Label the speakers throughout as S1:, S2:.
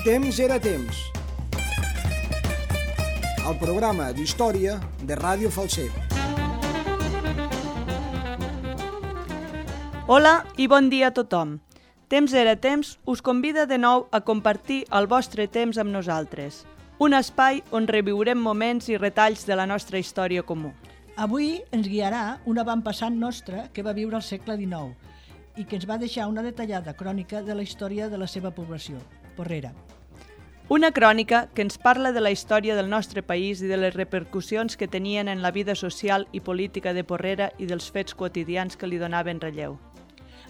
S1: Temps era temps. El programa d'història de Ràdio Falset.
S2: Hola i bon dia a tothom. Temps era temps us convida de nou a compartir el vostre temps amb nosaltres. Un espai on reviurem moments i retalls de la nostra història comú.
S3: Avui ens guiarà un avantpassat nostre que va viure al segle XIX i que ens va deixar una detallada crònica de la història de la seva població, Porrera.
S2: Una crònica que ens parla de la història del nostre país i de les repercussions que tenien en la vida social i política de Porrera i dels fets quotidians que li donaven relleu.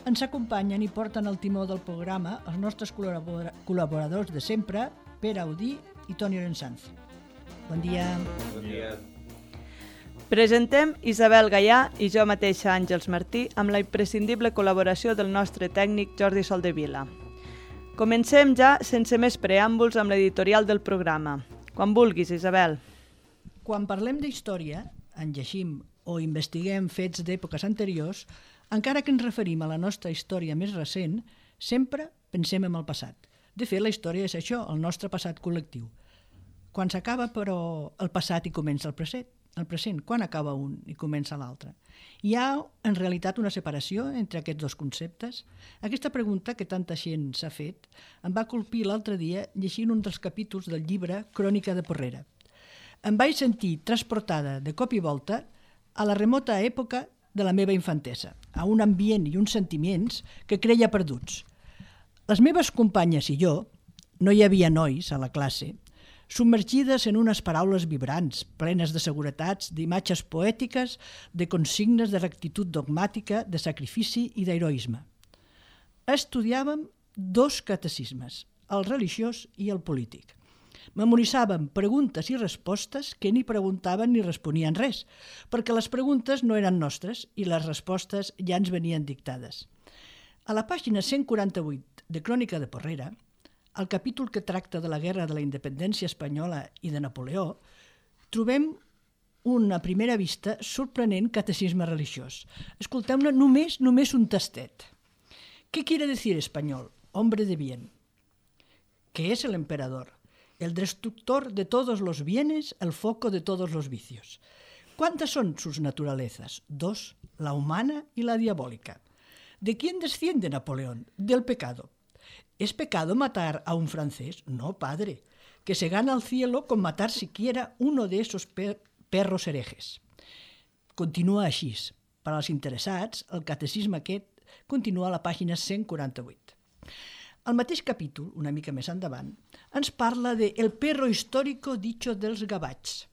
S3: Ens acompanyen i porten el timó del programa els nostres col·laboradors de sempre, Pere Audí i Toni Orensanz. Bon dia.
S4: Bon dia.
S2: Presentem Isabel Gaià i jo mateixa, Àngels Martí, amb la imprescindible col·laboració del nostre tècnic Jordi Soldevila. Comencem ja, sense més preàmbuls, amb l'editorial del programa. Quan vulguis, Isabel.
S3: Quan parlem d'història, en llegim o investiguem fets d'èpoques anteriors, encara que ens referim a la nostra història més recent, sempre pensem en el passat. De fet, la història és això, el nostre passat col·lectiu. Quan s'acaba, però, el passat i comença el present. Quan acaba un i comença l'altre? Hi ha, en realitat, una separació entre aquests dos conceptes? Aquesta pregunta que tanta gent s'ha fet em va colpir l'altre dia llegint un dels capítols del llibre Crònica de Porrera. Em vaig sentir transportada de cop i volta a la remota època de la meva infantesa, a un ambient i uns sentiments que creia perduts. Les meves companyes i jo, no hi havia nois a la classe, submergides en unes paraules vibrants, plenes de seguretats, d'imatges poètiques, de consignes de rectitud dogmàtica, de sacrifici i d'heroisme. Estudiàvem dos catecismes, el religiós i el polític. Memoritzàvem preguntes i respostes que ni preguntaven ni responien res, perquè les preguntes no eren nostres i les respostes ja ens venien dictades. A la pàgina 148 de Crònica de Porrera, al capítol que tracta de la Guerra de la Independència Espanyola i de Napoleó, trobem una primera vista sorprenent catecisme religiós. Escolteu-ne només un tastet. ¿Qué quiere decir español? Hombre de bien. ¿Qué es el emperador? El destructor de todos los bienes, el foco de todos los vicios. ¿Cuántas son sus naturalezas? Dos, la humana y la diabólica. ¿De quién desciende Napoleón? Del pecado. ¿Es pecado matar a un francés? No, padre, que se gana el cielo con matar siquiera uno de esos perros herejes. Continua així. Per als interessats, el catecisme aquest continua a la pàgina 148. El mateix capítol, una mica més endavant, ens parla de El perro histórico dicho dels gavats.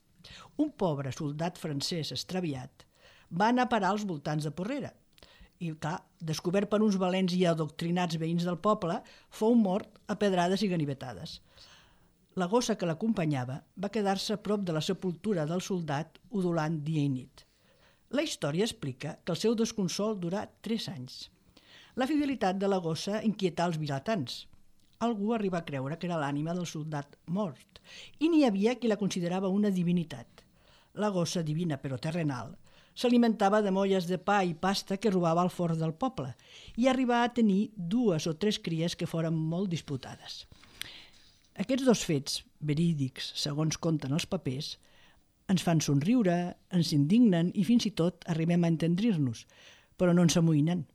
S3: Un pobre soldat francès extraviat va anar a parar als voltants de Porrera i, clar, descobert per uns valents i adoctrinats veïns del poble, fou mort a pedrades i ganivetades. La gossa que l'acompanyava va quedar-se a prop de la sepultura del soldat udolant dia i nit. La història explica que el seu desconsol durà 3 anys. La fidelitat de la gossa inquietà els vilatans. Algú arriba a creure que era l'ànima del soldat mort i n'hi havia qui la considerava una divinitat. La gossa, divina però terrenal, s'alimentava de molles de pa i pasta que robava al forn del poble i arribà a tenir 2 o 3 cries que foren molt disputades. Aquests dos fets, verídics, segons conten els papers, ens fan somriure, ens indignen i fins i tot arribem a entendrir-nos, però no ens amoïnen,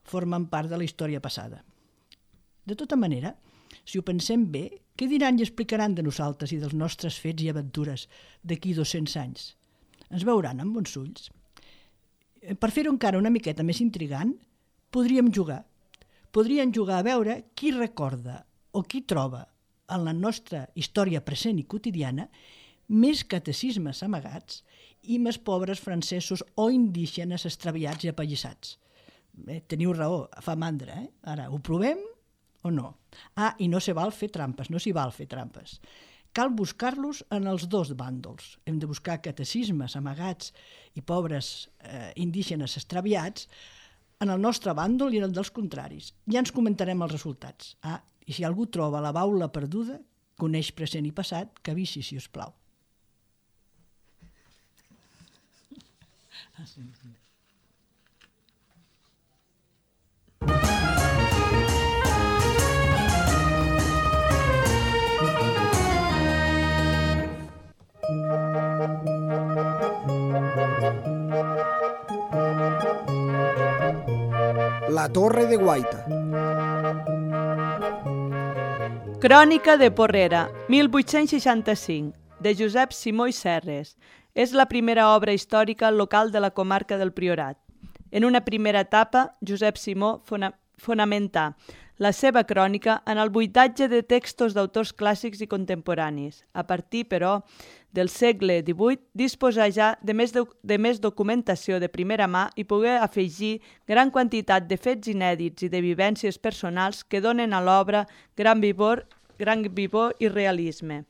S3: formen part de la història passada. De tota manera, si ho pensem bé, què diran i explicaran de nosaltres i dels nostres fets i aventures d'aquí 200 anys? Ens veuran amb bons ulls? Per fer-ho encara una miqueta més intrigant, podríem jugar. Podríem jugar a veure qui recorda o qui troba en la nostra història present i quotidiana més catecismes amagats i més pobres francesos o indígenes extraviats i apallissats. Teniu raó, fa mandra, eh? Ara, ho provem o no? I no s'hi val fer trampes. Cal buscar-los en els dos bàndols. Hem de buscar catecismes amagats i pobres indígenes extraviats en el nostre bàndol i en el dels contraris. Ja ens comentarem els resultats. I si algú troba la baula perduda, coneix present i passat, que avisi, si us plau.
S1: La Torre de Guaita.
S2: Crònica de Porrera, 1865, de Josep Simó i Serres. És la primera obra històrica local de la comarca del Priorat. En una primera etapa, Josep Simó fonamentà la seva crònica en el buidatge de textos d'autors clàssics i contemporanis. A partir, però, del segle XVIII, disposà ja de més documentació de primera mà i pogué afegir gran quantitat de fets inèdits i de vivències personals que donen a l'obra gran vivor i realisme.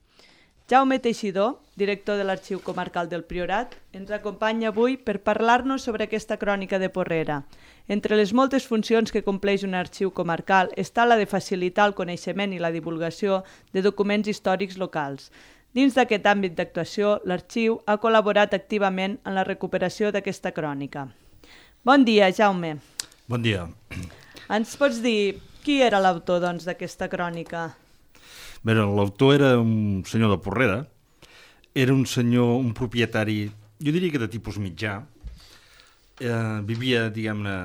S2: Jaume Teixidor, director de l'Arxiu Comarcal del Priorat, ens acompanya avui per parlar-nos sobre aquesta crònica de Porrera. Entre les moltes funcions que compleix un arxiu comarcal està la de facilitar el coneixement i la divulgació de documents històrics locals. Dins d'aquest àmbit d'actuació, l'arxiu ha col·laborat activament en la recuperació d'aquesta crònica. Bon dia, Jaume.
S4: Bon dia.
S2: Ens pots dir qui era l'autor d'aquesta crònica?
S4: Bé, l'autor era un senyor de Porrera, era un senyor, un propietari, jo diria que de tipus mitjà, vivia, diguem-ne,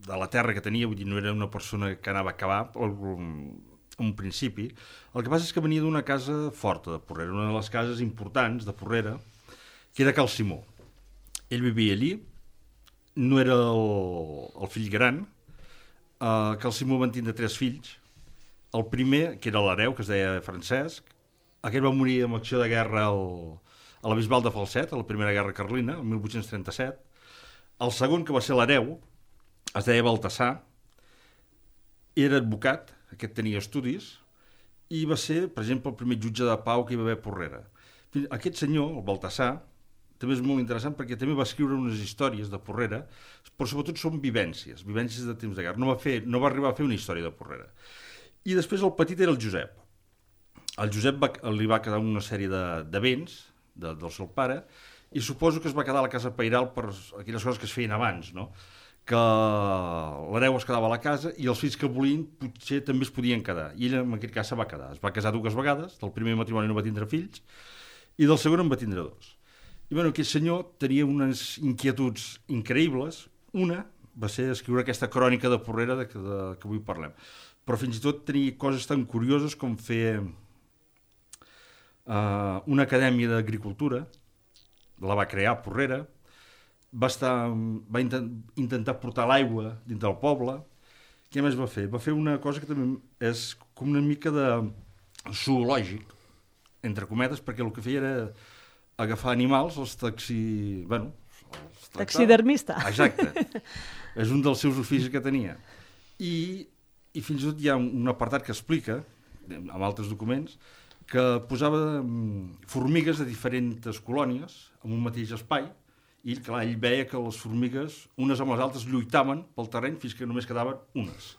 S4: de la terra que tenia, vull dir, no era una persona que anava a acabar un principi. El que passa és que venia d'una casa forta de Porrera, una de les cases importants de Porrera, que era Cal Simó. Ell vivia allí, no era el fill gran, Cal Simó van tindre 3 fills. El primer, que era l'hereu, que es deia Francesc, aquest va morir en acció de guerra a la Bisbal de Falset, a la Primera Guerra Carlina, el 1837. El segon, que va ser l'hereu, es deia Baltasar, era advocat, aquest tenia estudis, i va ser, per exemple, el primer jutge de pau que hi va haver a Porrera. Aquest senyor, el Baltasar, també és molt interessant perquè també va escriure unes històries de Porrera, però sobretot són vivències de temps de guerra. No va arribar a fer una història de Porrera. I després el petit era el Josep. El Josep li va quedar una sèrie de béns del seu pare i suposo que es va quedar a la casa pairal per aquelles coses que es feien abans, no? Que l'hereu es quedava a la casa i els fills que volien potser també es podien quedar. I ell en aquest cas se va quedar. Es va casar 2 vegades, del primer matrimoni no va tindre fills i del segon en va tindre 2. I bueno, aquest senyor tenia unes inquietuds increïbles. Una va ser escriure aquesta crònica de Porrera que avui parlem. Però fins i tot tenia coses tan curioses com fer una acadèmia d'agricultura, la va crear a Porrera, va intentar portar l'aigua dins del poble. Què més va fer? Va fer una cosa que també és com una mica de zoològic, entre cometes, perquè el que feia era agafar animals,
S2: taxidermista.
S4: Exacte. És un dels seus oficis que tenia. I fins i tot hi ha un apartat que explica, amb altres documents, que posava formigues de diferents colònies en un mateix espai i, clar, ell veia que les formigues, unes amb les altres, lluitaven pel terreny fins que només quedaven unes.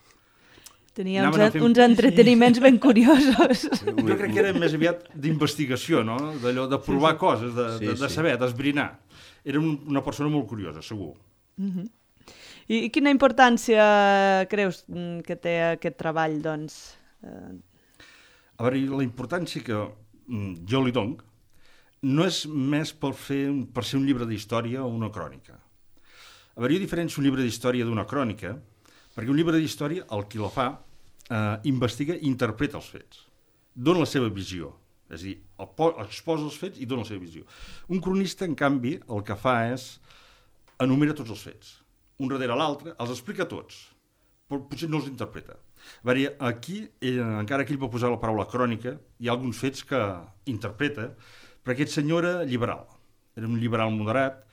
S2: Tenia uns entreteniments ben curiosos.
S4: Jo crec que era més aviat d'investigació, no? D'allò de provar coses, de saber, d'esbrinar. Era una persona molt curiosa, segur.
S2: I quina importància creus que té aquest treball, doncs?
S4: A veure, la importància que jo li dono no és més per ser un llibre d'història o una crònica. A veure, jo diferencio un llibre d'història d'una crònica, perquè un llibre d'història, el qui la fa, investiga i interpreta els fets. Dona la seva visió. És a dir, exposa els fets i dona la seva visió. Un cronista, en canvi, el que fa és enumera tots els fets. Un darrere l'altre, els explica tots, però potser no els interpreta. A veure, aquí, encara que ell va posar la paraula crònica, hi ha alguns fets que interpreta, però aquest senyor era liberal. Era un liberal moderat,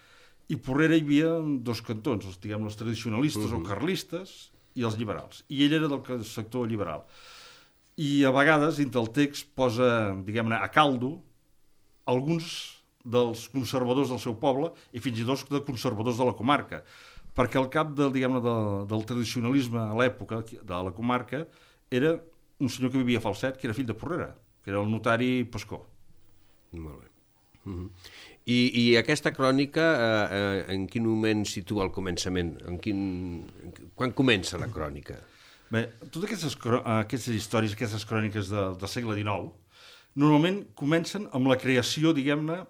S4: i a Porrera hi havia 2 cantons, els tradicionalistes o carlistes i els liberals. I ell era del sector liberal. I a vegades, dintre el text, posa, diguem-ne, a caldo alguns dels conservadors del seu poble i fins i tot de conservadors de la comarca, perquè al cap del tradicionalisme a l'època de la comarca era un senyor que vivia a Falset, que era fill de Porrera, que era el notari Pascó.
S5: Molt bé. I aquesta crònica, en quin moment situa el començament? Quan comença la crònica?
S4: Bé, totes aquestes històries, aquestes cròniques del segle XIX, normalment comencen amb la creació, diguem-ne,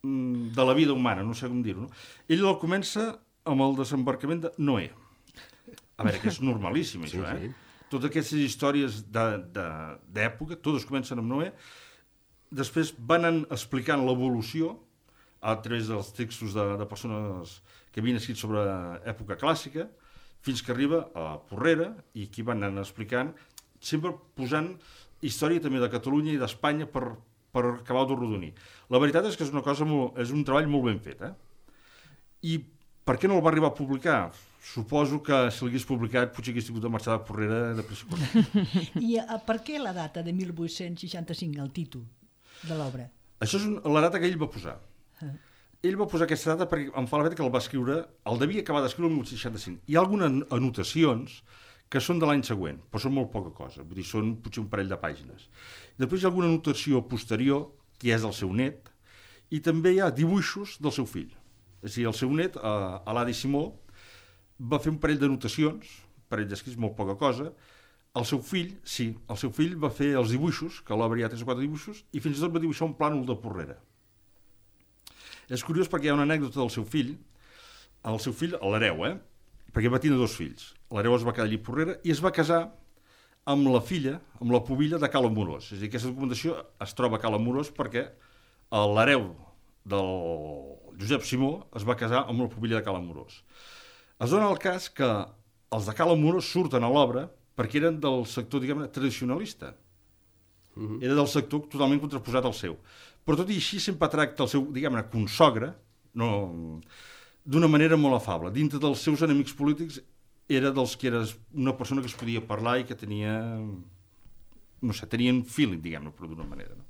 S4: de la vida humana, no sé com dir-ho. No? Ell el comença amb el desembarcament de Noé. A veure, que és normalíssim, això,
S5: sí.
S4: Totes aquestes històries d'època, totes comencen amb Noé, després van explicant l'evolució a través dels textos de persones que havien escrit sobre època clàssica, fins que arriba a Porrera, i aquí van anar explicant, sempre posant història també de Catalunya i d'Espanya per acabar de rodonir. La veritat és que és és un treball molt ben fet, I per què no el va arribar a publicar? Suposo que si l'hagués publicat potser hagués tingut de marxar de Porrera de pressa i corrents.
S3: I per què la data de 1865, el títol de l'obra?
S4: Això és la data que ell va posar. Ell va posar aquesta data perquè em fa la fet que el va escriure, el devia acabar d'escriure el 1865. Hi ha algunes anotacions que són de l'any següent, però són molt poca cosa, vull dir, són potser un parell de pàgines. Després hi ha alguna anotació posterior, que és del seu net, i també hi ha dibuixos del seu fill. És a dir, el seu net, Aladi Simó, va fer un parell d'anotacions, un parell d'escrits, molt poca cosa. El seu fill, sí, el seu fill va fer els dibuixos, que l'obra hi ha 3 o 4 dibuixos, i fins i tot va dibuixar un plànol de Porrera. És curiós perquè hi ha una anècdota del seu fill, l'hereu, perquè va tenir 2 fills. L'hereu es va quedar allí a Porrera i es va casar amb la filla, amb la pubilla de Cal Amorós. És a dir, aquesta documentació es troba a Cal Amorós perquè l'hereu del Josep Simó es va casar amb la pubilla de Cal Amorós. Es dona el cas que els de Cal Amorós surten a l'obra perquè eren del sector, diguem-ne, tradicionalista. Era del sector totalment contraposat al seu. Però tot i així sempre tracta el seu, diguem-ne, consogre, d'una manera molt afable. Dintre dels seus enemics polítics era dels que era una persona que es podia parlar i que tenia, no sé, tenien feeling, diguem-ne, però d'una manera. No?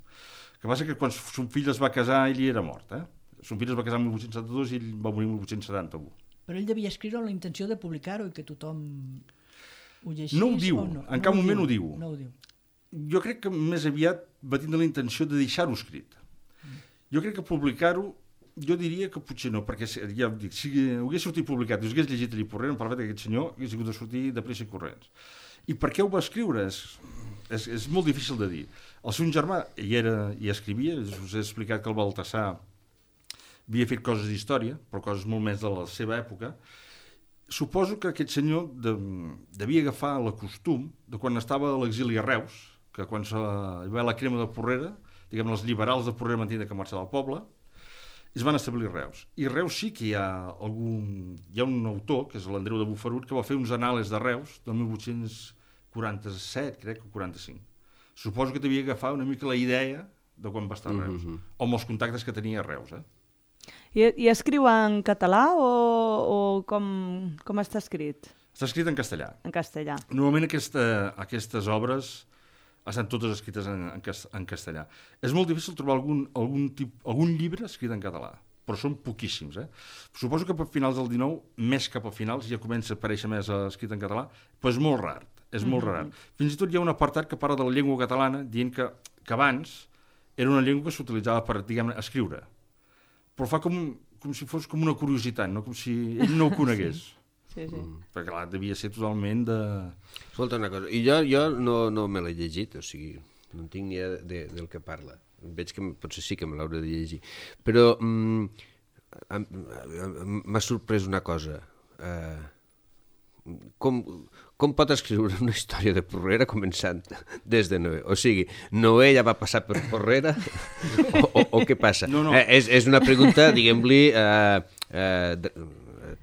S4: El que passa que quan son fill es va casar, ell era mort. Son fill es va casar en 1872 i ell va morir en 1871.
S3: Però ell devia escriure amb la intenció de publicar-ho i que tothom ho llegís.
S4: No ho diu, en cap moment ho diu.
S3: No ho diu.
S4: Jo crec que més aviat va tindre la intenció de deixar-ho escrit. Jo crec que publicar-ho, jo diria que potser no, perquè ja dic, si hagués sortit publicat i us hagués llegit allí Porrera, em parla que aquest senyor hagués hagut de sortir de pressa i corrents. I per què ho va escriure? És molt difícil de dir. El seu germà hi escrivia, us he explicat que el Baltasar havia fet coses d'història, però coses molt més de la seva època. Suposo que aquest senyor devia agafar el costum de quan estava a l'exili a Reus, que quan hi va la crema de Porrera, diguem, els liberals de Porrera van tenir que marxar del poble, i es van establir a Reus. I a Reus sí que hi ha un autor, que és l'Andreu de Bufarut, que va fer uns anàlisis de Reus del 1847, crec, o 45. Suposo que devia agafar una mica la idea de quan va estar a Reus, o amb els contactes que tenia a Reus,
S2: I escriu en català o com està escrit?
S4: Està escrit en castellà.
S2: En castellà.
S4: Normalment aquestes obres estan totes escrites en castellà. És molt difícil trobar algun llibre escrit en català, però són poquíssims. Suposo que a finals del 19, més cap a finals, ja comença a aparèixer més escrit en català, però és molt rar. És molt rar. Fins i tot hi ha un apartat que parla de la llengua catalana, dient que abans era una llengua que s'utilitzava per, diguem-ne, escriure. Però fa com si fos com una curiositat, no? Com si ell no ho conegués.
S2: Sí.
S4: Perquè clar, devia ser totalment de...
S5: Escolta una cosa, i jo no me l'he llegit, o sigui, no en tinc ni idea del que parla. Veig que potser sí que me l'hauré de llegir. Però m'ha sorprès una cosa. Com pot escriure una història de Porrera començant des de Noé? O sigui, Noé ja va passar per Porrera o què passa?
S4: No.
S5: És una pregunta, diguem-li,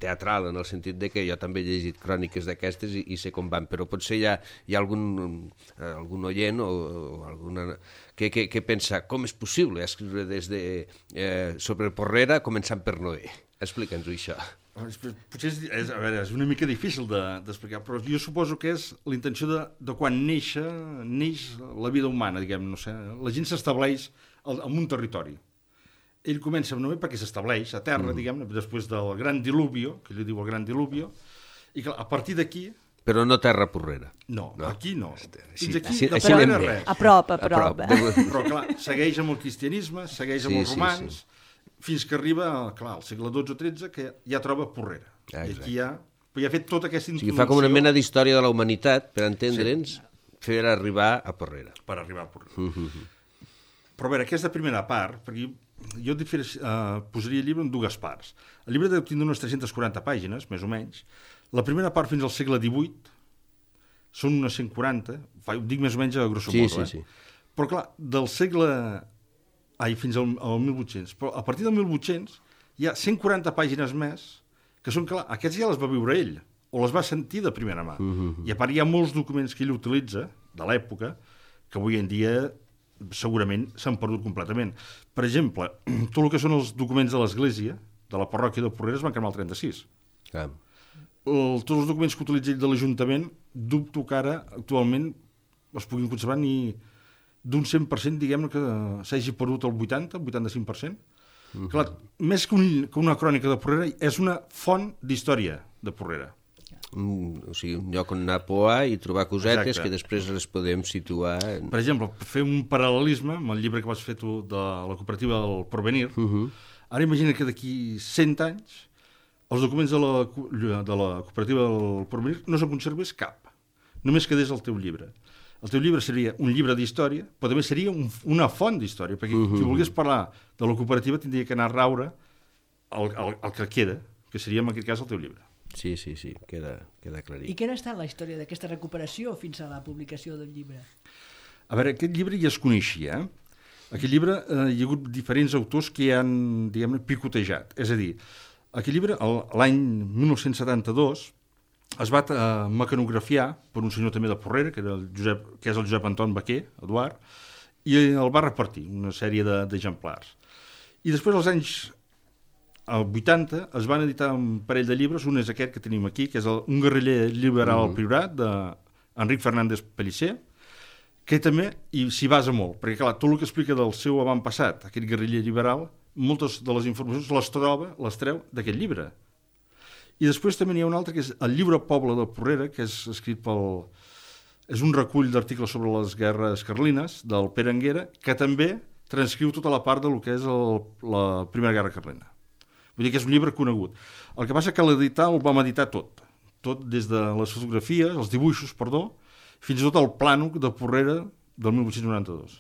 S5: teatral, en el sentit de que jo també he llegit cròniques d'aquestes i sé com van, però potser hi ha algun oient o alguna que pensa com és possible escriure sobre Porrera començant per Noé? Explica'ns-ho, això.
S4: Potser és una mica difícil d'explicar, però jo suposo que és la intenció de quan neix la vida humana, diguem, no sé, la gent s'estableix en un territori. Ell comença amb Noé perquè s'estableix a terra, diguem, després del gran diluvio, que ell diu el gran diluvio, i que a partir d'aquí...
S5: Però no terra Porrera.
S4: No, aquí no.
S5: Fins
S4: aquí de
S5: Porrera
S4: Porrera res.
S2: A prop.
S4: Però clar, segueix amb el cristianisme, segueix amb els romans, fins que arriba, clar, al segle XII o XIII, que ja troba Porrera. I aquí ja ha fet tota aquesta introducció.
S5: O sigui, fa com una mena d'història de la humanitat, per entendre'ns, fer arribar a Porrera.
S4: Per arribar a Porrera. Però a veure, aquesta primera part, perquè jo posaria el llibre en dues parts. El llibre deu tindre unes 340 pàgines, més o menys, La primera part fins al segle XVIII són unes 140, ho dic més o menys a grosso modo,
S5: Sí.
S4: Però clar, del segle... fins al 1800. Però a partir del 1800 hi ha 140 pàgines més que són, clar, aquests ja les va viure ell, o les va sentir de primera mà. I a part hi ha molts documents que ell utilitza, de l'època, que avui en dia segurament s'han perdut completament. Per exemple, tot el que són els documents de l'Església, de la parròquia de Porreres, van cremar el 36.
S5: Clar.
S4: Tots els documents que utilitza ell de l'Ajuntament, dubto que ara, actualment, es puguin conservar ni d'un 100%, diguem-ne, que s'hagi perdut el 85%. Clar, més que una crònica de Porrera, és una font d'història de Porrera.
S5: O sigui, un lloc on anar a poar i trobar cosetes.
S4: Exacte.
S5: Que després les podem situar...
S4: Per exemple, fer un paral·lelisme amb el llibre que vas fer tu de la cooperativa del Porvenir. Ara imagina que d'aquí 100 anys els documents de la cooperativa del Porvenir no se'n conservés cap. Només quedés el teu llibre. El teu llibre seria un llibre d'història, però també seria una font d'història, perquè qui volgués parlar de la cooperativa tindria que anar a raure el que queda, que seria en aquest cas el teu llibre.
S5: Sí, queda clarit.
S3: I quina ha estat la història d'aquesta recuperació fins a la publicació del llibre?
S4: A veure, aquest llibre ja es coneixia. Aquest llibre hi ha hagut diferents autors que hi han, diguem-ne, picotejat. És a dir, aquest llibre, l'any 1972, es va mecanografiar per un senyor també de Porrera, que és el Josep Anton Baquer, Eduard, i el va repartir, una sèrie d'exemplars. I després, als anys 80, es van editar un parell de llibres, un és aquest que tenim aquí, que és Un guerriller liberal al Priorat, d'Enric Fernández Pellicer, que també s'hi basa molt, perquè clar, tot el que explica del seu avantpassat, aquest guerriller liberal, moltes de les informacions les treu d'aquest llibre. I després també n'hi ha un altre, que és el llibre Poble de Porrera, que és escrit és un recull d'articles sobre les guerres carlines, del Pere Anguera, que també transcriu tota la part del que és la Primera Guerra Carlina. Vull dir que és un llibre conegut. El que passa que l'editar el vam editar tot des de les fotografies, els dibuixos, fins i tot el plànol de Porrera del 1892.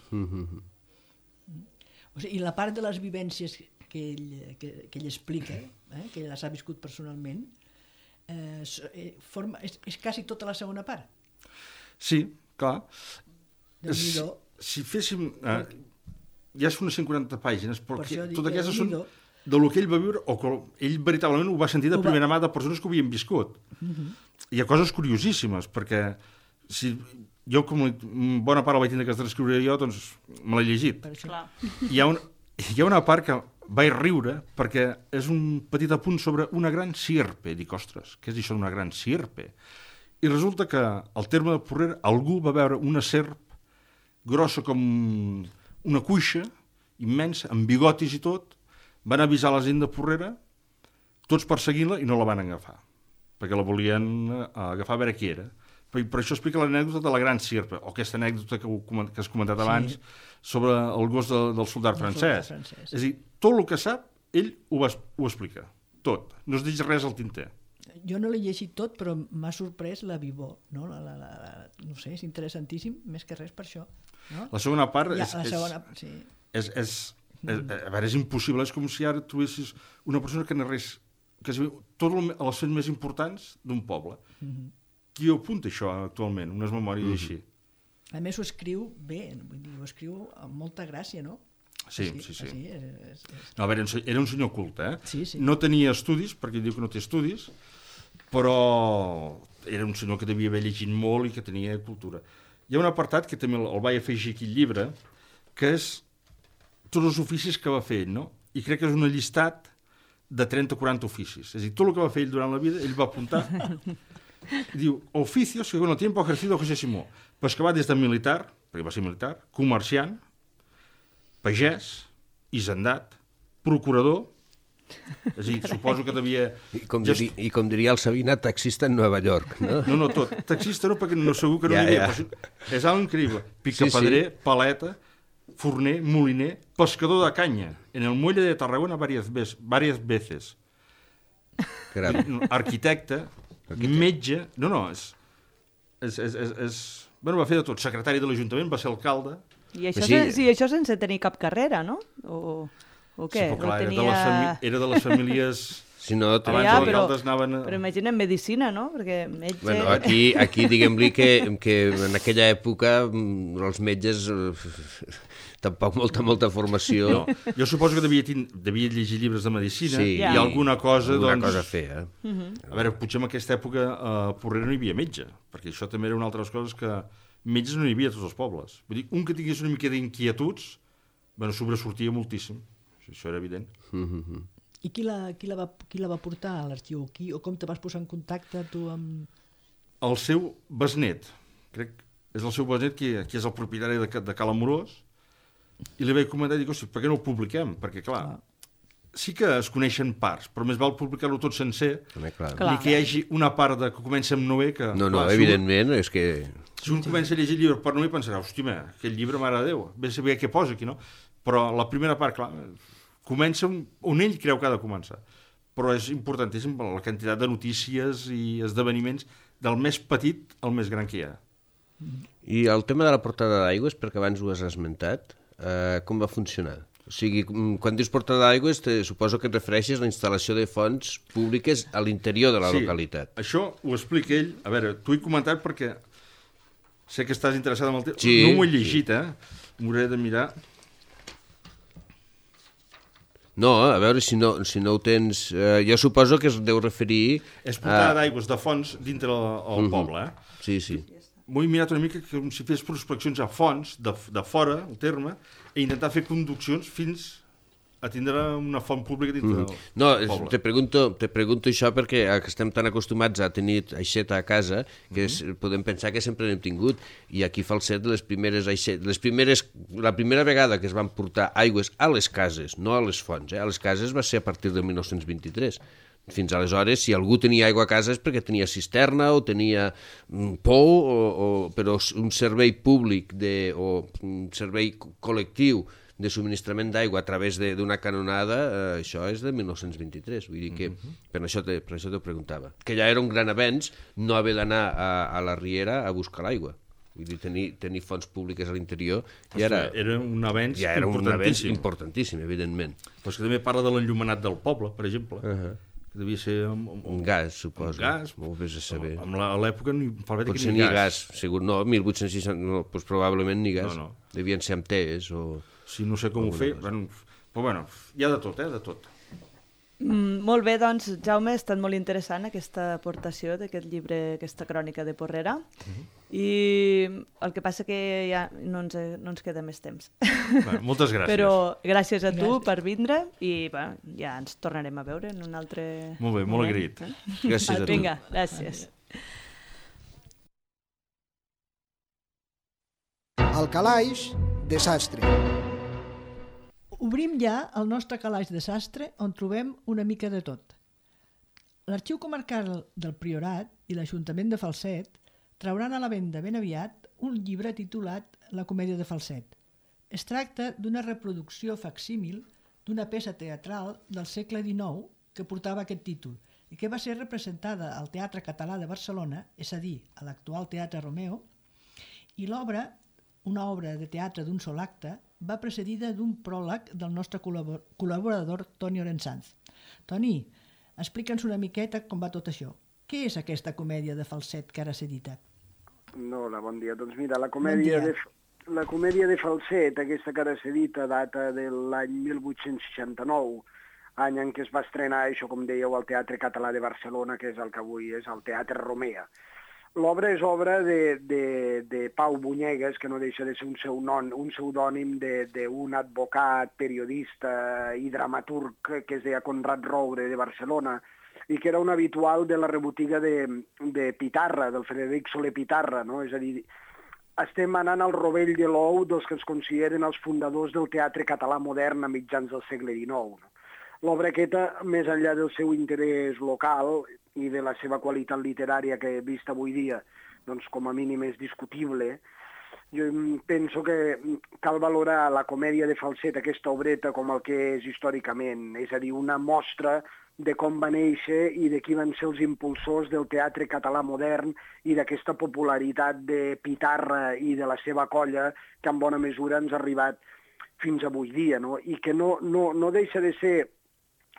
S3: O sigui, i la part de les vivències que ell explica, que ell les ha viscut personalment, és quasi tota la segona part.
S4: Sí, clar.
S3: Déu-n'hi-do.
S4: Si féssim... ja són unes 140 pàgines, però totes aquestes són
S3: Déu-n'hi-do.
S4: de lo que ell va viure, o que ell veritablement ho va sentir de primera mà de persones que ho havien viscut. Hi ha coses curiosíssimes, perquè si jo, com bona part la vaig tindre que transcriure jo, doncs me l'he llegit. Hi ha una part que vaig riure perquè és un petit apunt sobre una gran sierpe. Dic, ostres, què és això d'una gran sierpe? I resulta que al terme de Porrera algú va veure una serp grossa com una cuixa, immensa, amb bigotis i tot, van avisar la gent de Porrera, tots perseguint-la, i no la van agafar, perquè la volien agafar a veure qui era. Per això explica l'anècdota de la gran sierpe, o aquesta anècdota que has comentat abans, sobre el gos del soldat francès. És a dir, tot el que sap, ell ho explica, tot. No es deixa res al tinter.
S3: Jo no l'he llegit tot, però m'ha sorprès la vivor. No? No sé, és interessantíssim, més que res per això. No?
S4: La segona part
S3: sí.
S4: a veure, és impossible. És com si ara trobessis una persona que narrés tots els fets més importants d'un poble. Qui ho apunta això actualment, unes memòries així?
S3: A més ho escriu bé, vull dir, ho escriu amb molta gràcia, no?
S4: Sí. No, a veure, era un senyor culte,
S3: Sí.
S4: No tenia estudis, perquè diu que no té estudis, però era un senyor que devia haver llegit molt i que tenia cultura. Hi ha un apartat que també el vaig afegir aquí al llibre, que és tots els oficis que va fer ell, no? I crec que és un llistat de 30 o 40 oficis. És a dir, tot el que va fer ell durant la vida, ell va apuntar. I diu, oficios que con el tiempo ha ejercido José Simó. Pues que va des de militar, perquè va ser militar, comerciant, pagès, hisendat, procurador, és a dir, suposo que devia...
S5: I com diria el Sabina, taxista en Nova York, no?
S4: No, tot. Taxista no, perquè no, segur que no n'hi havia. És algo increïble. Picapedrer, paleta, forner, moliner, pescador de canya, en el muelle de Tarragona varias veces. Arquitecte, metge... No, bueno, va fer de tot. Secretari de l'Ajuntament, va ser alcalde.
S2: I això sense tenir cap carrera, no? O què?
S4: Sí, però clar, era de les famílies
S5: Si no,
S4: Abans els alcaldes anaven...
S2: Però imagina't medicina, no? Perquè metge...
S5: Bueno, aquí diguem-li que en aquella època els metges tampoc molta formació.
S4: No, jo suposo que devia llegir llibres de medicina i alguna cosa,
S5: alguna
S4: doncs...
S5: cosa a fer,
S4: A veure, potser en aquesta època a Porrera no hi havia metge, perquè això també era una altra de les coses que metges no hi havia a tots els pobles. Vull dir, un que tingués una mica d'inquietuds, bueno, sobresortia moltíssim. Això era evident.
S3: I qui la va portar a l'arxiu? O com te vas posar en contacte tu amb...
S4: El seu besnet, crec que és el seu besnet qui és el propietari de Cal Amorós, i li vaig comentar i dic, hosti, per què no ho publiquem? Perquè, clar, sí que es coneixen parts, però més val publicar-lo tot sencer, ni que hi hagi una part que comença amb Noé que...
S5: No, evidentment, és que...
S4: Si un comença a llegir el llibre per Noé pensarà, hòstia, aquell llibre, mare de Déu, bé saber què posa aquí, no? Però la primera part, clar, comença on ell creu que ha de començar. Però és importantíssim la quantitat de notícies i esdeveniments del més petit al més gran que hi ha.
S5: I el tema de la portada d'aigües, perquè abans ho has esmentat, com va funcionar? O sigui, quan dius portada d'aigües, suposo que et refereixes a la instal·lació de fonts públiques a l'interior de la localitat.
S4: Sí, això ho explica ell. A veure, t'ho he comentat perquè sé que estàs interessat en el tema.
S5: Sí,
S4: no m'ho he llegit, m'hauré de mirar...
S5: No, a veure, si no ho tens... jo suposo que es deu referir...
S4: És portada d'aigües de fonts dintre el poble,
S5: Sí, sí.
S4: M'ho he mirat una mica com si fes prospeccions a fonts de fora, el terme, i intentar fer conduccions fins a tindre una font pública dintre del poble.
S5: Te pregunto això perquè estem tan acostumats a tenir aixeta a casa que podem pensar que sempre n'hem tingut, i aquí a Falset la primera vegada que es van portar aigües a les cases, no a les fonts, a les cases va ser a partir del 1923. Fins aleshores, si algú tenia aigua a casa és perquè tenia cisterna o tenia pou, però un servei públic o un servei col·lectiu de subministrament d'aigua a través d'una canonada, això és de 1923. Vull dir que per això t'ho preguntava. Que ja era un gran avenç no haver d'anar a la riera a buscar l'aigua. Vull dir, tenir fonts públiques a l'interior
S4: era un avenç
S5: importantíssim, evidentment.
S4: Però és que també parla de l'enllumenat del poble, per exemple, que devia ser
S5: un gas, suposo.
S4: Un gas.
S5: Molt bé a saber.
S4: A l'època
S5: potser ni gas. Segur, no, 1860, no, doncs probablement ni gas.
S4: No.
S5: Devien ser amb tes o...
S4: Sí, no sé com ho fer, però bueno, hi ha de tot, de tot.
S2: Molt bé, doncs, Jaume, ha estat molt interessant aquesta aportació d'aquest llibre, aquesta crònica de Porrera, i el que passa que ja no ens queda més temps.
S4: Bueno, moltes gràcies.
S2: Però gràcies a tu per vindre i ja ens tornarem a veure en un altre...
S4: Molt bé, molt agraït.
S5: Gràcies a tu.
S2: Vinga, gràcies.
S1: Al calaix de sastre.
S3: Obrim ja el nostre calaix de sastre on trobem una mica de tot. L'Arxiu Comarcal del Priorat i l'Ajuntament de Falset trauran a la venda ben aviat un llibre titulat La comèdia de Falset. Es tracta d'una reproducció facsímil d'una peça teatral del segle XIX que portava aquest títol i que va ser representada al Teatre Català de Barcelona, és a dir, a l'actual Teatre Romeo, i l'obra, una obra de teatre d'un sol acte, va precedida d'un pròleg del nostre col·laborador Toni Orensanz. Toni, explica'ns una miqueta com va tot això. Què és aquesta comèdia de Falset que ara s'edita?
S6: Hola, bon dia. Doncs mira, la comèdia de Falset, aquesta que ara s'edita, data de l'any 1869, any en què es va estrenar, això com dèieu, al Teatre Català de Barcelona, que és el que avui és el Teatre Romea. L'obra és obra de Pau Bunyegues, que no deixa de ser un pseudònim d'un advocat, periodista i dramaturg que es deia Conrad Roure de Barcelona i que era un habitual de la rebotiga de Pitarra, del Frederic Soler Pitarra, no? És a dir, estem anant al rovell de l'ou dels que es consideren els fundadors del teatre català modern a mitjans del segle XIX. No? L'obra aquesta, més enllà del seu interès local i de la seva qualitat literària que vista avui dia, doncs com a mínim és discutible, jo penso que cal valorar la comèdia de Falset, aquesta obreta, com el que és històricament, és a dir, una mostra de com va néixer i de qui van ser els impulsors del teatre català modern i d'aquesta popularitat de Pitarra i de la seva colla que en bona mesura ens ha arribat fins avui dia, no? I que no deixa de ser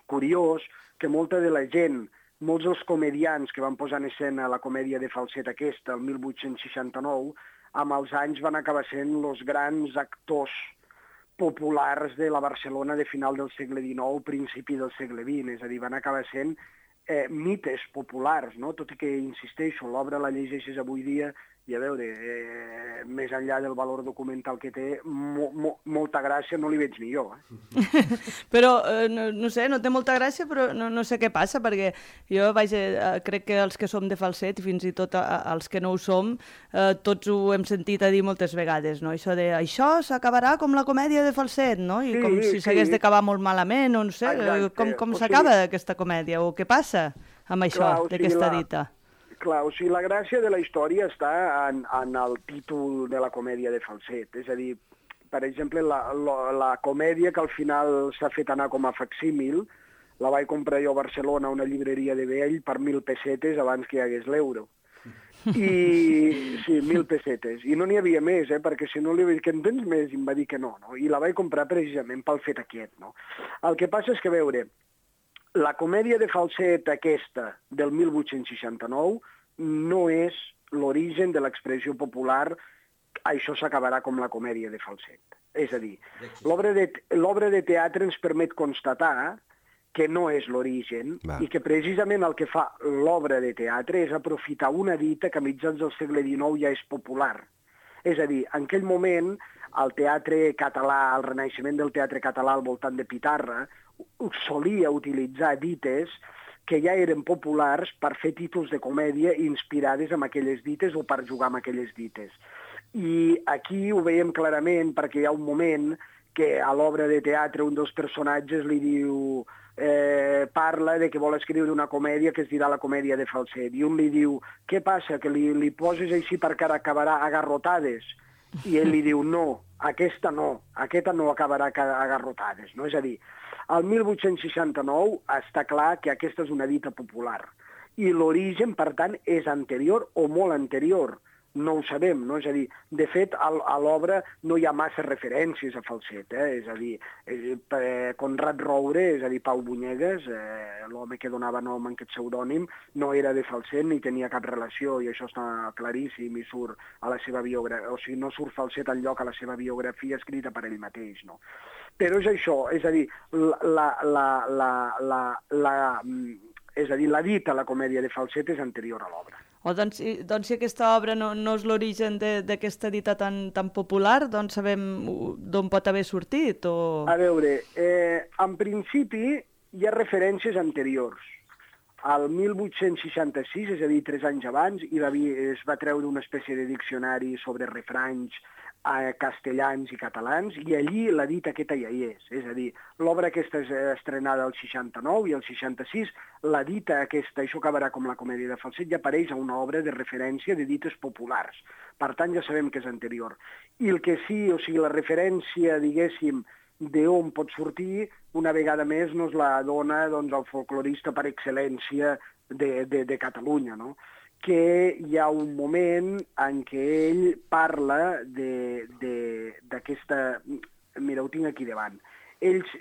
S6: curiós que molta de la gent, molts dels comedians que van posar en escena la comèdia de Falset aquesta, el 1869, amb els anys van acabar sent els grans actors populars de la Barcelona de final del segle XIX, principi del segle XX, és a dir, van acabar sent mites populars, no? Tot i que, insisteixo, l'obra la llegeixes avui dia i a veure, més enllà del valor documental que té, molta gràcia no li veig ni jo.
S2: Però, no sé, no té molta gràcia, però no sé què passa, perquè jo, vaja, crec que els que som de Falset, i fins i tot els que no ho som, tots ho hem sentit a dir moltes vegades, no? Això de, això s'acabarà com la comèdia de Falset, no? I com si s'hagués d'acabar molt malament, o no sé, com s'acaba aquesta comèdia, o què passa amb això, d'aquesta dita?
S6: Clar, o sigui, la gràcia de la història està en el títol de la comèdia de Falset. És a dir, per exemple, la comèdia que al final s'ha fet anar com a facsímil, la vaig comprar jo a Barcelona a una llibreria de vell per 1.000 pessetes abans que hi hagués l'euro. I sí, 1.000 pessetes. I no n'hi havia més, perquè si no li vaig dir que en tens més, i em va dir que no. I la vaig comprar precisament pel fet aquest, no? El que passa és que, veure, la comèdia de Falset aquesta del 1869 no és l'origen de l'expressió popular això s'acabarà com la comèdia de Falset. És a dir, l'obra de teatre ens permet constatar que no és l'origen i que precisament el que fa l'obra de teatre és aprofitar una dita que a mitjans del segle XIX ja és popular. És a dir, en aquell moment el teatre català, el renaixement del teatre català al voltant de Pitarra, solia utilitzar dites que ja eren populars per fer títols de comèdia inspirades en aquelles dites o per jugar amb aquelles dites. I aquí ho veiem clarament perquè hi ha un moment que a l'obra de teatre un dels personatges li diu, parla de que vol escriure una comèdia que es dirà la comèdia de Falset. I un li diu, què passa, que li poses així perquè acabarà a garrotades? I ell li diu, no, aquesta no acabarà a garrotades. No? És a dir, el 1869 està clar que aquesta és una dita popular i l'origen, per tant, és anterior o molt anterior. No ho sabem, no? És a dir, de fet, a l'obra no hi ha massa referències a Falset, és a dir, Conrad Roure, és a dir, Pau Bunyegues, l'home que donava nom en aquest pseudònim, no era de Falset ni tenia cap relació, i això està claríssim i surt a la seva biografia, o sigui, no surt Falset enlloc a la seva biografia escrita per ell mateix, no? Però és això, és a dir, la dita, la comèdia de Falset, és anterior a l'obra.
S2: Doncs si aquesta obra no és l'origen d'aquesta dita tan popular, doncs sabem d'on pot haver sortit?
S6: A veure, en principi hi ha referències anteriors. Al 1866, és a dir, 3 anys abans, es va treure una espècie de diccionari sobre refranys castellans i catalans, i allí la dita aquesta ja hi és. És a dir, l'obra aquesta és estrenada al 69 i al 66, la dita aquesta, això acabarà com la comèdia de Falset, ja apareix a una obra de referència de dites populars. Per tant, ja sabem que és anterior. I el que sí, o sigui, la referència, diguéssim, d'on pot sortir, una vegada més nos la dona el folclorista per excel·lència de Catalunya, no? Que hi ha un moment en què ell parla d'aquesta... Mira, ho tinc aquí davant.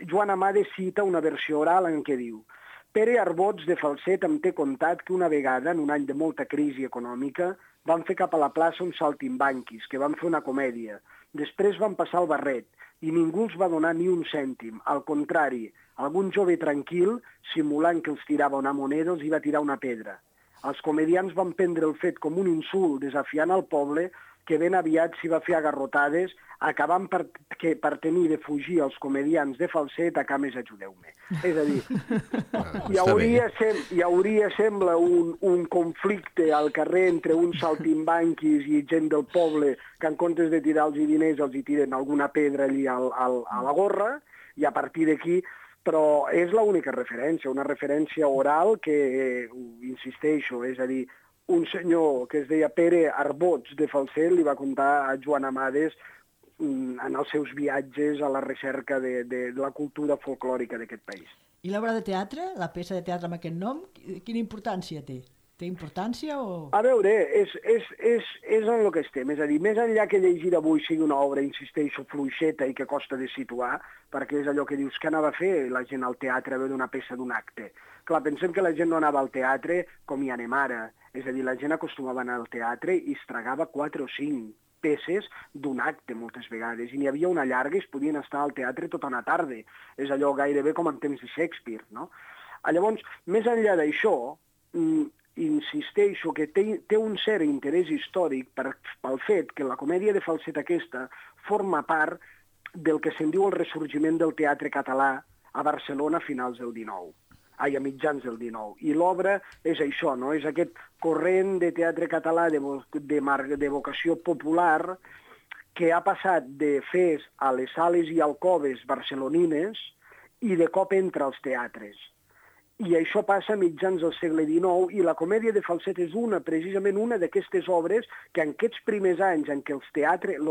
S6: Joan Amades cita una versió oral en què diu: Pere Arbots de Falset em té contat que una vegada, en un any de molta crisi econòmica, van fer cap a la plaça uns saltimbanquis, que van fer una comèdia. Després van passar el barret i ningú els va donar ni un cèntim. Al contrari, algun jove tranquil, simulant que els tirava una moneda, els hi va tirar una pedra. Els comedians van prendre el fet com un insult, desafiant al poble, que ben aviat s'hi va fer a garrotades, acabant per tenir de fugir els comedians de Falset a Cames ajudeu-me. És a dir, hi hauria, sembla, un conflicte al carrer entre uns saltimbanquis i gent del poble que en comptes de tirar-los diners els hi tiren alguna pedra allí a la gorra, i a partir d'aquí... Però és l'única referència, una referència oral que, insisteixo, és a dir, un senyor que es deia Pere Arbots de Falset li va contar a Joan Amades en els seus viatges a la recerca de la cultura folclòrica d'aquest país.
S3: I l'obra de teatre, la peça de teatre amb aquest nom, quina importància té? Té importància o...?
S6: A veure, és en el que estem. És a dir, més enllà que llegir avui sigui una obra, insisteixo, fluixeta i que costa de situar, perquè és allò que dius que anava a fer la gent al teatre a veure una peça d'un acte. Clar, pensem que la gent no anava al teatre com hi anem ara. És a dir, la gent acostumava a anar al teatre i es tragava 4 o 5 peces d'un acte moltes vegades, i n'hi havia una llarga i es podien estar al teatre tota una tarda. És allò gairebé com en temps de Shakespeare, no? Llavors, més enllà d'això, insisteixo que té un cert interès històric pel fet que la comèdia de falset aquesta forma part del que se'n diu el ressorgiment del teatre català a Barcelona a finals del XIX, a mitjans del XIX. I l'obra és això, no? És aquest corrent de teatre català de vocació popular que ha passat de fes a les sales i alcoves barcelonines i de cop entra als teatres. I això passa a mitjans del segle XIX i la comèdia de falset és precisament una d'aquestes obres que en aquests primers anys en què el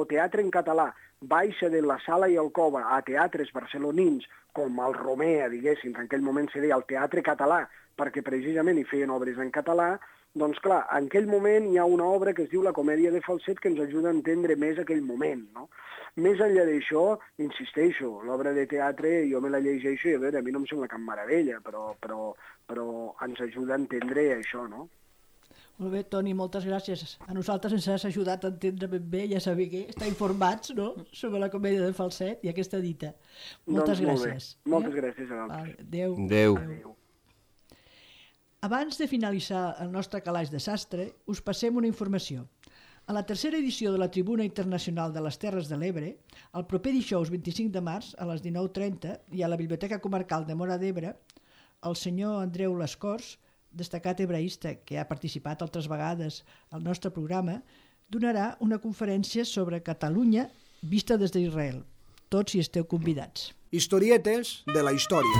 S6: teatre en català baixa de la sala i alcova a teatres barcelonins com el Romea, diguéssim, que en aquell moment se deia el teatre català perquè precisament hi feien obres en català, doncs clar, en aquell moment hi ha una obra que es diu la comèdia de falset que ens ajuda a entendre més aquell moment, no? Més enllà d'això, insisteixo, l'obra de teatre jo me la llegeixo i a veure, a mi no em sembla cap meravella, però ens ajuda a entendre això, no?
S3: Molt bé, Toni, moltes gràcies. A nosaltres ens has ajudat a entendre ben bé i a saber estar informats, no?, sobre la comèdia de falset i aquesta dita. Moltes gràcies.
S6: Moltes gràcies a vosaltres.
S3: Adéu.
S5: Adéu.
S3: Abans de finalitzar el nostre calaix de sastre, us passem una informació. A la tercera edició de la Tribuna Internacional de les Terres de l'Ebre, el proper dijous 25 de març a les 19:30 i a la Biblioteca Comarcal de Móra d'Ebre, el senyor Andreu Lascors, destacat hebraista que ha participat altres vegades al nostre programa, donarà una conferència sobre Catalunya vista des d'Israel. Tots hi esteu convidats.
S1: Historietes de la història.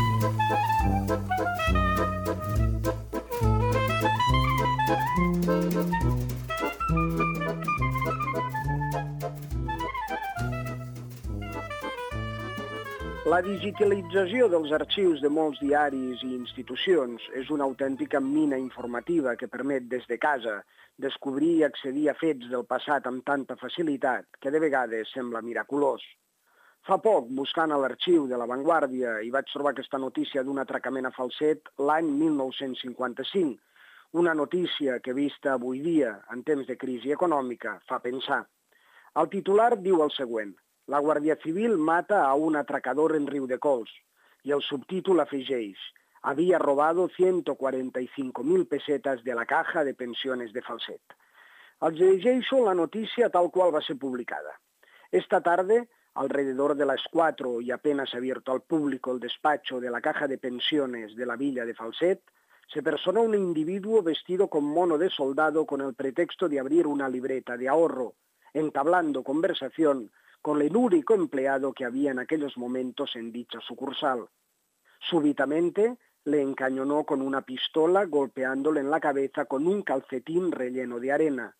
S6: La digitalització dels arxius de molts diaris i institucions és una autèntica mina informativa que permet des de casa descobrir i accedir a fets del passat amb tanta facilitat que de vegades sembla miraculós. Fa poc, buscant a l'arxiu de La Vanguardia, hi vaig trobar aquesta notícia d'un atracament a falset l'any 1955, una notícia que, vista avui dia, en temps de crisi econòmica, fa pensar. El titular diu el següent: la Guàrdia Civil mata a un atracador en Riudecols, i el subtítol afegeix: había robado 145.000 pesetas de la caja de pensiones de falset. Els llegeixo la notícia tal qual va ser publicada. Esta tarde, alrededor de las 4 y apenas abierto al público el despacho de la caja de pensiones de la villa de Falset, se personó un individuo vestido con mono de soldado con el pretexto de abrir una libreta de ahorro, entablando conversación con el único empleado que había en aquellos momentos en dicha sucursal. Súbitamente le encañonó con una pistola, golpeándole en la cabeza con un calcetín relleno de arena.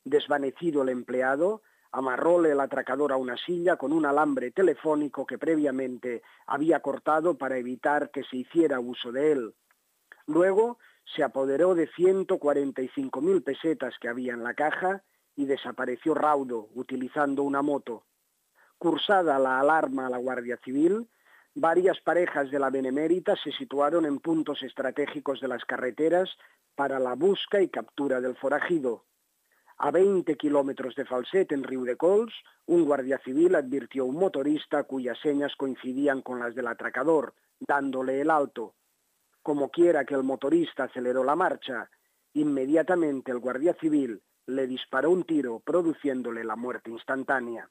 S6: Desvanecido el empleado, amarróle el atracador a una silla con un alambre telefónico que previamente había cortado para evitar que se hiciera uso de él. Luego se apoderó de 145.000 pesetas que había en la caja y desapareció raudo, utilizando una moto. Cursada la alarma a la Guardia Civil, varias parejas de la Benemérita se situaron en puntos estratégicos de las carreteras para la busca y captura del forajido. A 20 kilómetros de Falset, en Riudecols, un guardia civil advirtió a un motorista cuyas señas coincidían con las del atracador, dándole el alto. Como quiera que el motorista aceleró la marcha, inmediatamente el guardia civil le disparó un tiro, produciéndole la muerte instantánea.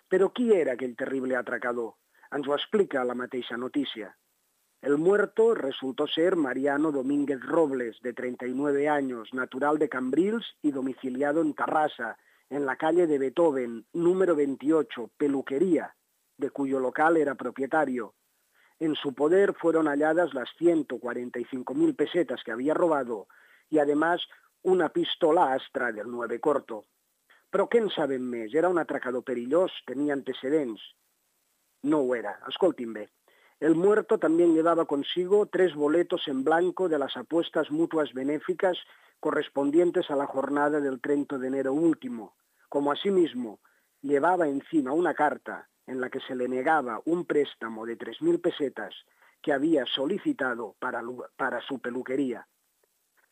S6: Però qui era aquell terrible atracador? Ens ho explica la mateixa notícia. El muerto resultó ser Mariano Domínguez Robles, de 39 años, natural de Cambrils y domiciliado en Tarrasa, en la calle de Beethoven, número 28, Peluquería, de cuyo local era propietario. En su poder fueron halladas las 145.000 pesetas que había robado y además una pistola Astra del 9 corto. Però què en sabem més? Era un atracador perillós? Tenia antecedents? No ho era. Escoltin bé. El muerto también llevaba consigo 3 boletos en blanco de las apuestas mutuas benéficas correspondientes a la jornada del 30 de enero último, como asimismo llevaba encima una carta en la que se le negaba un préstamo de 3.000 pesetas que había solicitado para su peluquería.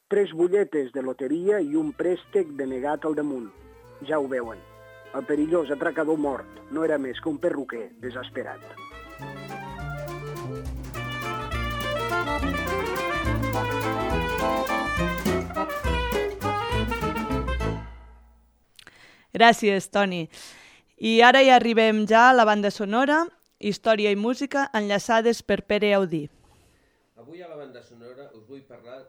S6: 3 butlletes de loteria i un préstec denegat al damunt. Ja ho veuen. El perillós atracador mort no era més que un perruquer desesperat.
S2: Gràcies, Toni. I ara ja arribem ja a la banda sonora, història i música enllaçades per Pere Audí.
S5: Avui a la banda sonora us vull parlar...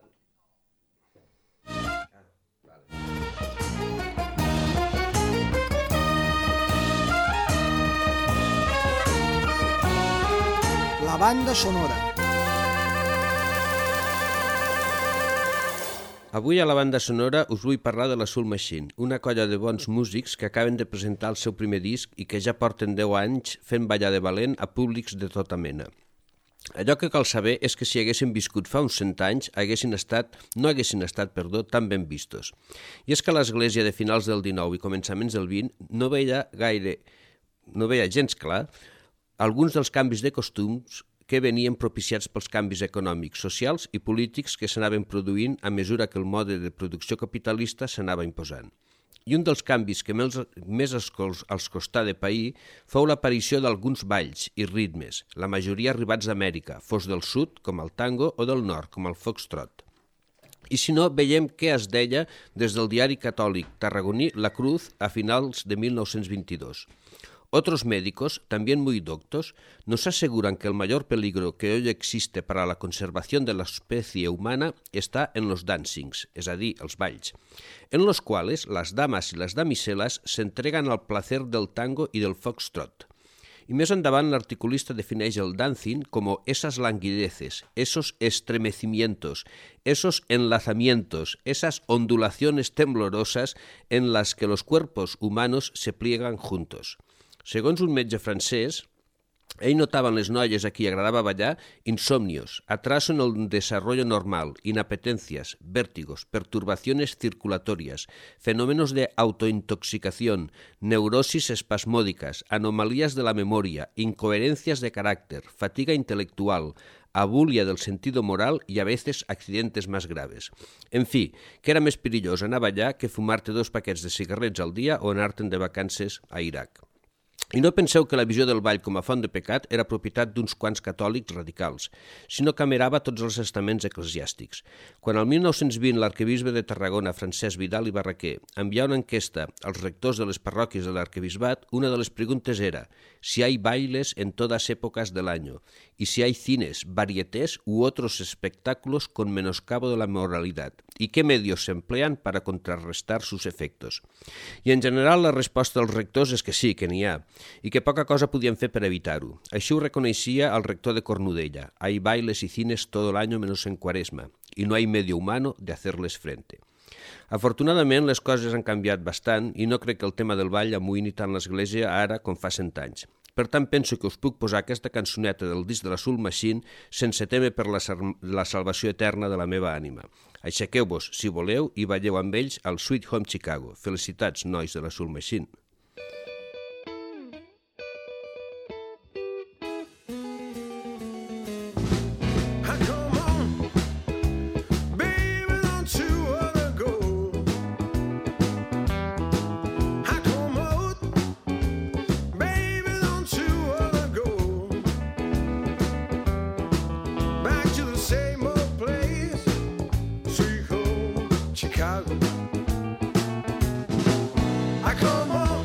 S1: La banda sonora.
S5: Avui a la banda sonora us vull parlar de la Soul Machine, una colla de bons músics que acaben de presentar el seu primer disc i que ja porten 10 anys fent ballar de valent a públics de tota mena. Allò que cal saber és que si haguessin viscut fa uns 100 anys no haguessin estat tan ben vistos. I és que l'Església de finals del XIX i començaments del XX no veia gens clar alguns dels canvis de costums que venien propiciats pels canvis econòmics, socials i polítics que s'anaven produint a mesura que el mode de producció capitalista s'anava imposant. I un dels canvis que més els costà de pair fou l'aparició d'alguns balls i ritmes, la majoria arribats d'Amèrica, fos del sud, com el tango, o del nord, com el foxtrot. I si no, veiem què es deia des del diari catòlic tarragoní La Cruz a finals de 1922. Otros médicos, también muy doctos, nos aseguran que el mayor peligro que hoy existe para la conservación de la especie humana está en los dancings, és a dir, els balls, en los cuales las damas y las damiselas se entregan al placer del tango y del foxtrot. Y més endavant l'articulista defineix el dancing como esas languideces, esos estremecimientos, esos enlazamientos, esas ondulaciones temblorosas en las que los cuerpos humanos se pliegan juntos. Segons un metge francès, ell notava en les noies a qui agradava ballar insomnios, atraso en el desarrollo normal, inapetencias, vértigos, perturbaciones circulatorias, fenómenos de autointoxicación, neurosis espasmódicas, anomalías de la memoria, incoherencias de carácter, fatiga intelectual, abulia del sentido moral y a veces accidentes más graves. En fi, que era més perillós anar a ballar que fumar-te 2 paquets de cigarrets al dia o anar-te'n de vacances a Iraq. I no penseu que la visió del ball com a font de pecat era propietat d'uns quants catòlics radicals, sinó que amerava tots els estaments eclesiàstics. Quan el 1920 l'arquebisbe de Tarragona, Francesc Vidal i Barraquer, envià una enquesta als rectors de les parròquies de l'arquebisbat, una de les preguntes era si hay bailes en todas épocas del año y si hay cines, varietés u otros espectáculos con menoscabo de la moralidad y qué medios se emplean para contrarrestar sus efectos. I en general la resposta dels rectors és que sí, que n'hi ha, i que poca cosa podien fer per evitar-ho. Així ho reconeixia el rector de Cornudella. Hay bailes y cines todo el año menos en Cuaresma, y no hay medio humano de hacerles frente. Afortunadament, les coses han canviat bastant i no crec que el tema del ball amoïni tant l'Església ara com fa 100 anys. Per tant, penso que us puc posar aquesta cançoneta del disc de la Soul Machine sense temer per la salvació eterna de la meva ànima. Aixequeu-vos, si voleu, i balleu amb ells al Sweet Home Chicago. Felicitats, nois de la Soul Machine.
S7: I come home.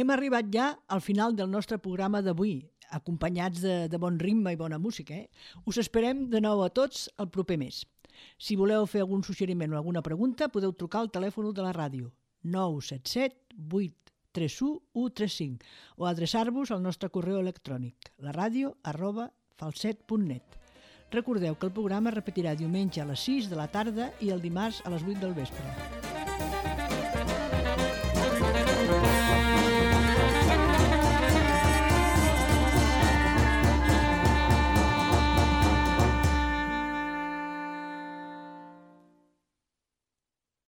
S3: Hem arribat ja al final del nostre programa d'avui, acompanyats de bon ritme i bona música. Us esperem de nou a tots el proper mes. Si voleu fer algun suggeriment o alguna pregunta, podeu trucar al telèfon de la ràdio 977 831 135 o adreçar-vos al nostre correu electrònic laradio@falset.net. Recordeu que el programa es repetirà diumenge a les 6 de la tarda i el dimarts a les 8 del vespre.